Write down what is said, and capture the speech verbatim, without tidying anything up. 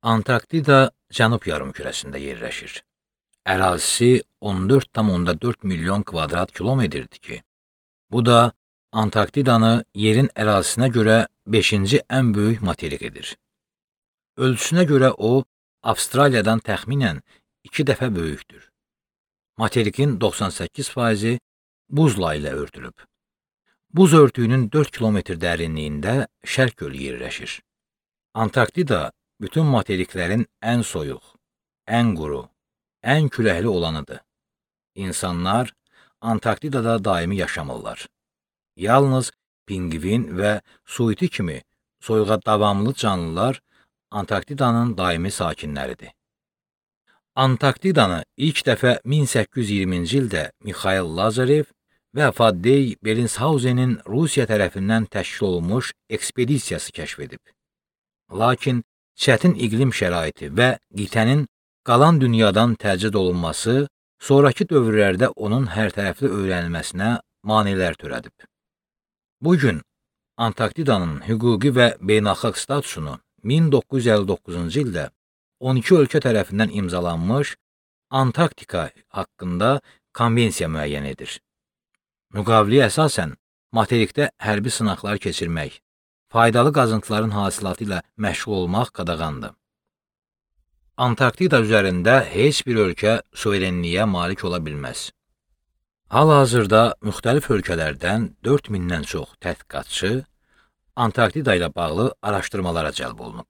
Antarktida Cənub yarımkürəsində yerləşir. Ərazisi on dörd tam dörd milyon kvadrat kilometrdir ki, bu da Antarktidanı yerin ərazisinə görə beşinci ən böyük materik edir. Ölçüsünə görə o, Avstraliyadan təxminən iki dəfə böyükdür. Materikin doxsan səkkiz faizi buzla ilə örtülüb. Buz örtüyünün dörd kilometr dərinliyində Şərq gölü yerləşir. Antarktida bütün materiklərin ən soyuq, ən quru, ən küləkli olanıdır. İnsanlar Antarktidada daimi yaşamırlar. Yalnız pingvin və suiti kimi soyuğa davamlı canlılar Antarktidanın daimi sakinləridir. Antarktidanı ilk dəfə min səkkiz yüz iyirminci ildə Mixail Lazarev və Faddey Berinshausenin Rusiya tərəfindən təşkil olunmuş ekspedisiyası kəşf edib. Lakin çətin iqlim şəraiti və qitənin qalan dünyadan təcrid olunması sonraki dövrlərdə onun hərtərəfli öyrənilməsinə maneələr törədib. Bugün Antarktidanın hüquqi və beynəlxalq statusunu min doqquz yüz əlli doqquzuncu ildə on iki ölkə tərəfindən imzalanmış Antarktika haqqında konvensiya müəyyən edir. Müqaviləyə əsasən materikdə hərbi sınaqlar keçirmək, faydalı qazıntıların hasilatı ilə məşğul olmaq qadağandır. Antarktida üzərində heç bir ölkə suverenliyə malik ola bilməz. Hal-hazırda müxtəlif ölkələrdən dörd mindən çox tədqiqatçı Antarktida ilə bağlı araşdırmalara cəlb olunub.